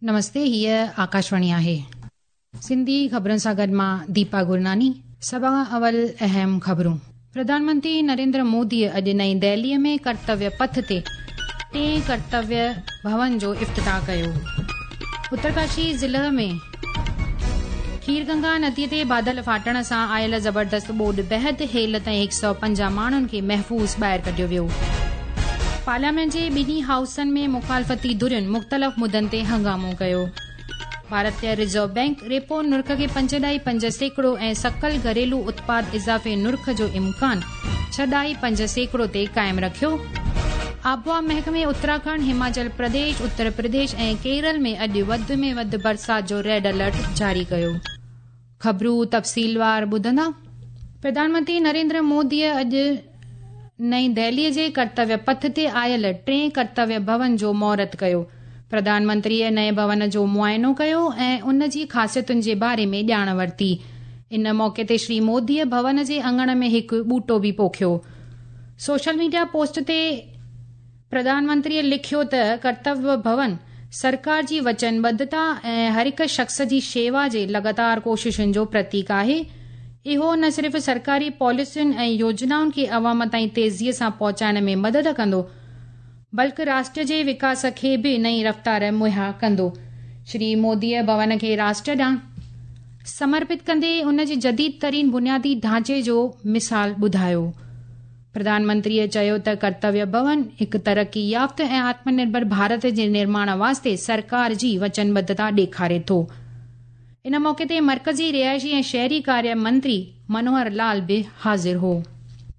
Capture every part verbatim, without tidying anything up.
नमस्ते, हीअ आकाशवाणी आहे। सिंधी ख़बरुनि सां गॾु मां दीपा गुरनानी। सभु खां अवल अहम ख़बरूं। प्रधानमंत्री नरेंद्र मोदीअ अॼु नई दिल्लीअ में कर्तव्य पथ ते टे कर्तव्य भवन जो इफ़्तिताह कयो। उत्तरकाशी ज़िले में खीरगंगा नदीअ ते बादल फाटण सां आयल ज़बरदस्त ॿोॾ बहद हेल ताईं हिकु सौ पंजाह माण्हुनि खे महफ़ूज़ ॿाहिरि कढियो वियो। पार्लियामेंट जे ॿिन्ही हाउसनि में मुखालफ़ती धुरियुनि मुख़्तलिफ़ मुदनि ते हंगामो कयो। भारतीय रिज़र्व बैंक रेपो नुर्ख खे पंज ॾाई पंज सैकड़ो ऐं सकल घरेलू उत्पाद इज़ाफ़े नुर्ख जो इम्कान छह ॾाई पंज सैकड़ो ते क़ाइमु रखियो। आबहावा महकमे उत्तराखंड, हिमाचल प्रदेश, उत्तर प्रदेश ऐं केरल में अॼु वधि में वधि बरसाति जो रेड अलर्ट जारी कयो। ख़बरूं तफ़सीलवार ॿुधंदा। प्रधानमंत्री नरेंद्र मोदीअ अॼु नई दिल्लीअ जे कर्तव्य पथ ते आयल टे कर्तव्य भवन जो मुहूर्त कयो। प्रधानमंत्रीअ नए भवन जो मुआइनो कयो ऐं उन जी ख़ासियतुनि जे बारे में ॼाण वरिती। इन मौक़े ते श्री मोदीअ भवन जे आङण में हिकु ॿूटो बि पोखियो। सोशल मीडिया पोस्ट ते प्रधानमंत्रीअ लिखियो त कर्तव्य भवन सरकार जी वचनबद्धता ऐं हर हिकु शख़्स जी शेवा जे लगातार कोशिशुनि जो प्रतीक आहे। इहो न सिर्फ़ सरकारी पॉलिसियुनि ऐं योजनाउनि खे अवाम ताईं तेज़ीअ सां पहुचाइण में मदद कंदो, बल्कि राष्ट्र जे विकास खे बि नई रफ़्तार मुहैया कंदो। श्री मोदीअ भवन खे राष्ट्र ॾांहुं समर्पित कंदे उन जे जदीद तरीन बुनियादी ढांचे जो मिसाल ॿुधायो। प्रधानमंत्रीअ चयो त कर्तव्य भवन हिकु तरक़ी याफ़्त ऐं आत्मनिर्भर भारत जे निर्माण वास्ते सरकार जी वचनबद्धता ॾेखारे थो। इन मौक़े ते मर्कज़ी रिहाइशी ऐं शहरी कार्य मंत्री मनोहर लाल बि हाज़िर हो।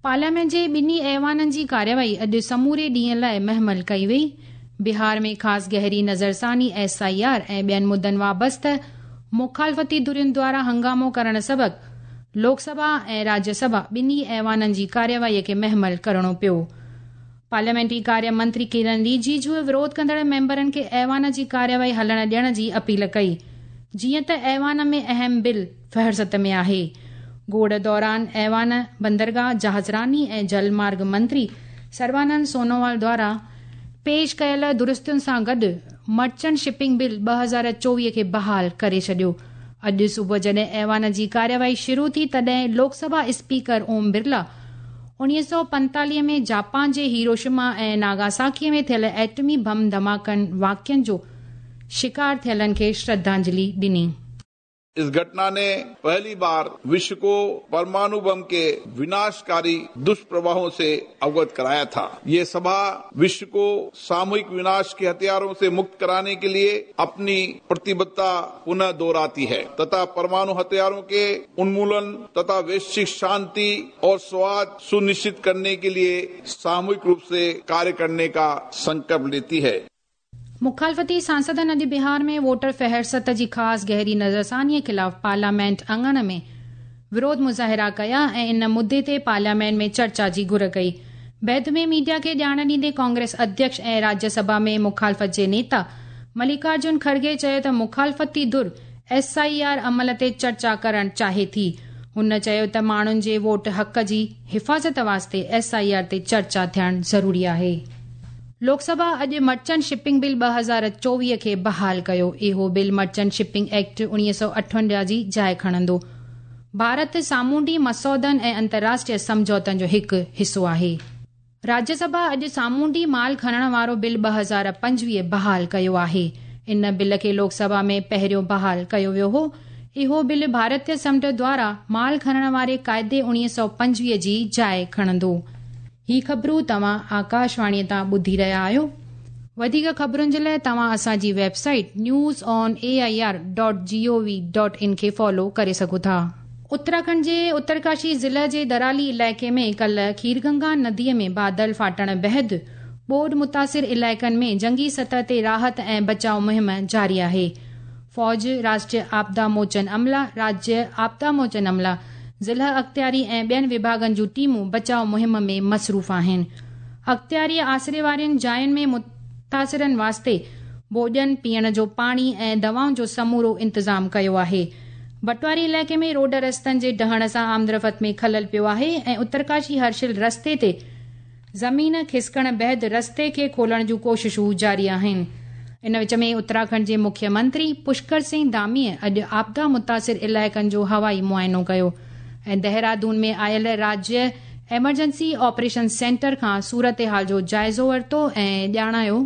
पार्लियामेंट जे ॿिन्ही ऐवाननि जी कार्यवाही अॼु समूरे ॾींहं लाइ महमल कई वई। बिहार में ख़ासि गहरी नज़रसानी, एस I R ऐं ॿियनि मुदनि वाबस्ता मुखालफ़ती धुरियुनि द्वारा हंगामो करण सबबु लोकसभा ऐं राज्यसभा ॿिन्ही ऐवाननि जी कार्यवाहीअ खे महमल करिणो पियो। पार्लियामेंटरी कार्य मंत्री किरण रिजिजू विरोध कंदड़ मेंबरनि खे ऐवान जी कार्यवाही हलण ॾियण जी अपील कई, जीअं त ऐवान में अहम बिल फ़हरिस्त में आहे। गोड़ दौरान ऐवान बंदरगाह, जहाज़रानी ऐं जलमार्ग मंत्री सर्बानंद सोनोवाल द्वारा पेश कयल दुरुस्तियुनि सां गॾु मर्चेंट शिपिंग बिल ॿ हज़ार चोवीह खे बहाल करे छॾियो। अॼु सुबुह जॾहिं ऐवान जी कार्यवाही शुरू थी, तॾहिं लोकसभा स्पीकर ओम बिरला उणिवीह सौ पंतालीह में जापान जे हिरोशिमा ऐं नागासाकी में थियल एटमी बम धमाकनि वाक़ियनि जो शिकार थियलनि खे श्रद्धांजलि ॾिनी। इस घटना ने पहली बार विश्व को परमाणु बम के विनाशकारी दुष्प्रभावों से अवगत कराया था। ये सभा विश्व को सामूहिक विनाश के हथियारों से मुक्त कराने के लिए अपनी प्रतिबद्धता पुनः दोहराती है तथा परमाणु हथियारों के उन्मूलन तथा वैश्विक शांति और सौहार्द सुनिश्चित करने के लिए सामूहिक रूप से कार्य करने का संकल्प लेती है। मुखालफ़ती सांसदनि अॼु बिहार में वोटर फ़हरिस्त जी ख़ासि गहरी नज़रसानीअ ख़िलाफ़ पार्लियामेंट आङण में विरोध मुज़ाहिरा कया ऐं इन मुद्दे ते पार्लियामेंट में चर्चा जी घुर कई। बैद में मीडिया खे ॼाण ॾींदे कांग्रेस अध्यक्ष ऐं राज्यसभा में मुखालफ़त जे नेता मल्लिकार्जुन खड़गे चयो त मुखालफ़ती धुर एस I R अमल ते चर्चा करणु चाहे थी। हुन चयो त माण्हुनि जे वोट हक़ जी हिफ़ाज़त वास्ते एस I R ते चर्चा थियणु ज़रूरी आहे। लोकसभा अॼु मर्चेंट शिपिंग बिल ॿ हज़ार चोवीह खे बहाल कयो। इहो बिल मर्चेंट शिपिंग एक्ट उणिवीह सौ अठवंजाह जी जाइ खणंदो। भारत सामुंडी मसौदनि ऐं अंतर्राष्ट्रीय सम्झौतनि जो हिकु हिसो आहे। राज्यसभा अॼु सामुंडी माल खणण वारो बिल ॿ हज़ार पंजवीह बहाल कयो आहे। इन बिल खे लोकसभा में पहिरियों बहाल कयो वियो हो। इहो बिल भारतीय समुंड द्वारा माल खणण वारे काइदे उणिवीह सौ पंजवीह जी जाइ खणंदो। ही ख़बरूं तव्हां आकाशवाणीअ तां ॿुधी रहिया आहियो। वधीक ख़बरुनि जे लाइ तव्हां असांजी website news on A I R dot G O V dot in खे फॉलो करे सघो था। उत्तराखंड जे उत्तरकाशी ज़िले जे दराली इलाइक़े में कल्ह खीरगंगा नदीअ में बादल फाटण बहद ॿोॾ मुतासिर इलाइक़नि में जंगी सतह ते राहत ऐं बचाव मुहिम जारी आहे। फ़ौज, राष्ट्रीय आपदा मोचन अमला, राज्य आपदा मोचन अमला, ज़िला अख़्तियारी ऐं ॿियनि विभागनि जूं टीमूं बचाव मुहिम में मसरूफ़ आहिनि। अख़्तियारी आसरे वारियुनि जायुनि में मुतासिरनि वास्ते भोॼन, पीअण जो पाणी ऐं दवाउनि जो समूरो इंतज़ाम कयो आहे। बटवारी इलाइक़े में रोड रस्तनि जे डहण सां आमदरफ़्त में ख़लल पियो आहे ऐं उत्तरकाशी हर्षिल रस्ते ते ज़मीन खिसकण बाद रस्ते खे खोलण जूं कोशिशूं जारी आहिनि। इन विच में उत्तराखंड जे मुख्यमंत्री पुष्कर सिंह धामीअ अॼु आपदा मुतासिर इलाइक़नि जो हवाई मुआइनो कयो ऐं देहरादून में आयल राज्य एमरजेंसी ऑपरेशन सेंटर खां सूरत हाल जो जाइज़ो वरितो ऐं ॼाणायो।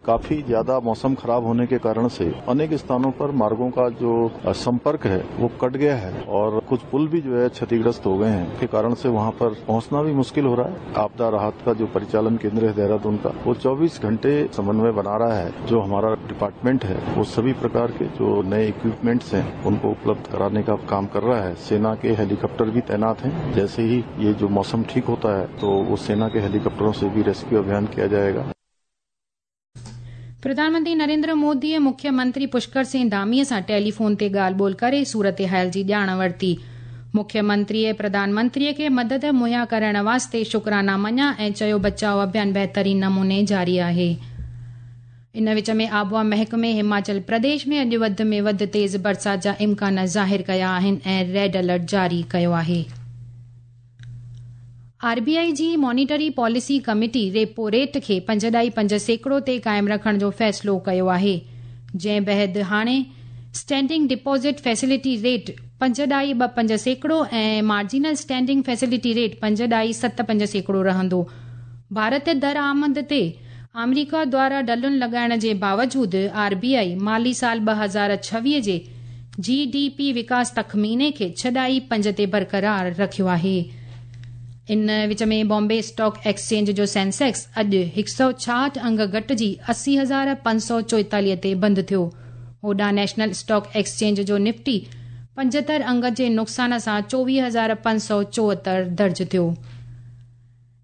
काफी ज्यादा मौसम खराब होने के कारण से अनेक स्थानों पर मार्गों का जो संपर्क है वो कट गया है और कुछ पुल भी जो है क्षतिग्रस्त हो गए हैं, के कारण से वहां पर पहुंचना भी मुश्किल हो रहा है। आपदा राहत का जो परिचालन केंद्र है देहरादून का, वो चौबीस घंटे समन्वय बना रहा है। जो हमारा डिपार्टमेंट है वो सभी प्रकार के जो नए इक्विपमेंट्स हैं उनको उपलब्ध कराने का काम कर रहा है। सेना के हेलीकॉप्टर भी तैनात हैं। जैसे ही ये जो मौसम ठीक होता है तो वो सेना के हेलीकॉप्टरों से भी रेस्क्यू अभियान किया जाएगा। प्रधानमंत्री नरेंद्र मोदीअ मुख्यमंत्री पुष्कर सिंह धामीअ सां टेलीफोन ते ॻाल्हि ॿोल करे सूरत हाल जी ॼाण वरिती। मुख्यमंत्रीअ प्रधानमंत्रीअ खे मदद मुहैया करण वास्ते शुक्राना मञिया ऐं चयो बचाव अभियान बहितरीन नमूने जारी आहे। इन विच में आबहवा महकमे हिमाचल प्रदेश में अॼु वधि में वधि तेज़ बरसात जा इम्कान ज़ाहिर कया आहिनि ऐं रेड अलर्ट जारी कयो आहे। आरबीआई जी monetary policy committee repo rate खे पंज ॾाई पंज सैकड़ो ते क़ाइमु रखण जो फ़ैसिलो कयो आहे, जंहिं बाद हाणे स्टैंडिंग डिपॉज़िट फैसिलिटी रेट पंज ॾाई ॿ पंज सैकड़ो ऐं मार्जिनल स्टैंडिंग फैसिलिटी रेट पंज ॾाई सत पंज सैकड़ो रहंदो। भारत दरआमद ते आमेरिका द्वारा ढलुनि लॻाइण जे बावजूद आरबीआई माली साल ॿ हज़ार छवीह जे जीडीपी विकास तख़मीने खे छह ॾाई पंज ते बरक़रार रखियो आहे। इन विच में बॉम्बे स्टॉक एक्सचेंज जो सेंसेक्स अॼु हिकु सौ छाहठि अंग घटिजी असी हज़ार पंज सौ चोएतालीह ते बंदि थियो। होॾां नेशनल स्टॉक एक्सचेंज जो निफ्टी पंजहतरि अंग जे नुक़सान सां चोवीह हज़ार पंज सौ चोहतरि दर्ज थियो।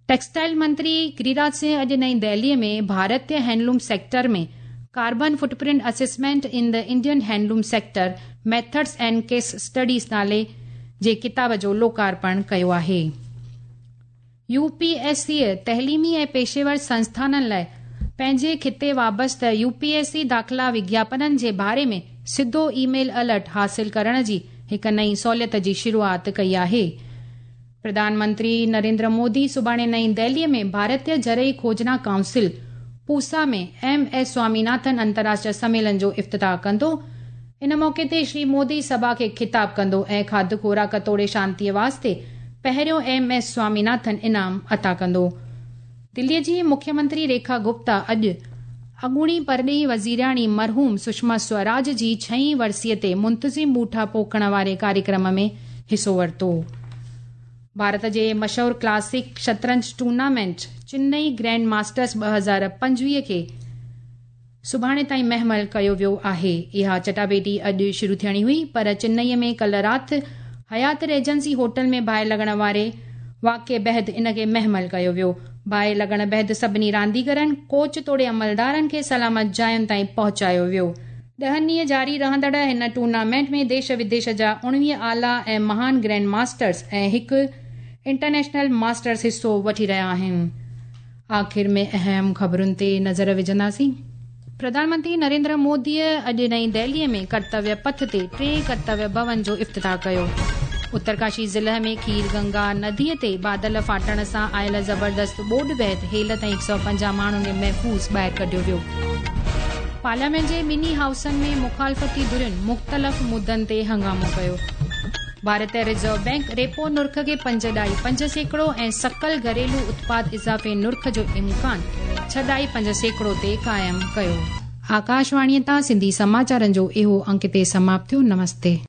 टेक्सटाइल मंत्री गिरिराज सिंह अॼु नई दिल्लीअ में भारतीय handloom sector में carbon footprint assessment in the Indian handloom sector methods and case studies नाले जे किताब जो लोकार्पण कयो आहे। यूपीएससी तइलीमी ऐं पेशेवर संस्थाननि लाइ पंहिंजे खिते वाबस्ता यूपीएससी दाख़िला विज्ञापननि जे बारे में सिधो ईमेल अलर्ट हासिल करण जी हिकु नई सहूलियत जी शुरूआत कई आहे। प्रधानमंत्री नरेंद्र मोदी सुभाणे नई दिल्लीअ में भारतीय ज़रई खोजना काउंसिल पूसा में एम एस स्वामीनाथन अंतर्राष्ट्रीय सम्मेलन जो इफ्तिताह कंदो। इन मौक़े ते श्री मोदी सभा खे ख़िताब कंदो ऐं खाध खुराक तोड़े शांतीअ वास्ते पहिरियों एम एस स्वामीनाथन इनाम अता कंदो। दिल्लीअ जी मुख्यमंत्री रेखा गुप्ता अॼु अॻूणी परॾेही वज़ीराणी मरहूम सुषमा स्वराज जी छहीं वरसीअ ते मुंतज़िम ॿूटा पोखण वारे कार्यक्रम में हिसो वरितो। भारत जे मशहूर क्लासिक शतरंज टूर्नामेंट चेन्नई ग्रैंड मास्टर्स ॿ हज़ार पंजवीह खे सुभाणे ताईं महमल कयो वियो आहे। इहा चटाभेटी अॼु शुरू थियणी हुई, पर चेन्नईअ में कल्ह राति हयात रेजेंसी होटल में बाहि लॻण वारे वाक़े बाद इन खे महमल कयो वियो। बाहि लॻण बाद सभिनी रांदीगरनि, कोच तोड़े अमलदारनि खे सलामत जायुनि ताईं पहुचायो वियो। ॾहनि ॾींहं जारी रहंदड़ हिन टूर्नामेंट में देश विदेश जा उणिवीह आला ऐं महान ग्रैंड मास्टर्स ऐं हिकु इंटरनेशनल मास्टर्स हिसो वठी रहिया आहिनि। आख़िर में अहम ख़बरुनि ते नज़र विझंदासीं। प्रधानमंत्री नरेंद्र मोदीअ अॼु नई दिल्लीअ में कर्तव्य पथ ते टे कर्तव्य भवन जो इफ्तिताह कयो। उत्तरकाशी ज़िले में खीर गंगा नदीअ ते बादल फाटण सां आयल ज़बरदस्त ॿोॾ बाद हेल ताईं हिकु सौ पंजाह माण्हुनि खे महफ़ूज़ ॿाहिरि कढियो वियो। पार्लियामेंट जे ॿिन्ही हाउसनि में मुखालफ़ती धुरियुनि मुख़्तलिफ़ मुद्दनि ते हंगामो कयो। भारतीय रिज़र्व बैंक रेपो नुर्ख खे पंज ॾाई पंज सैकड़ो ऐं सकल घरेलू उत्पाद इज़ाफ़े नुर्ख जो इम्कान छह ॾाई पंज सैकड़ो ते क़ाइमु कयो। आकाशवाणीअ तां सिंधी समाचारनि जो इहो अंक ते समाप्त थियो। नमस्ते।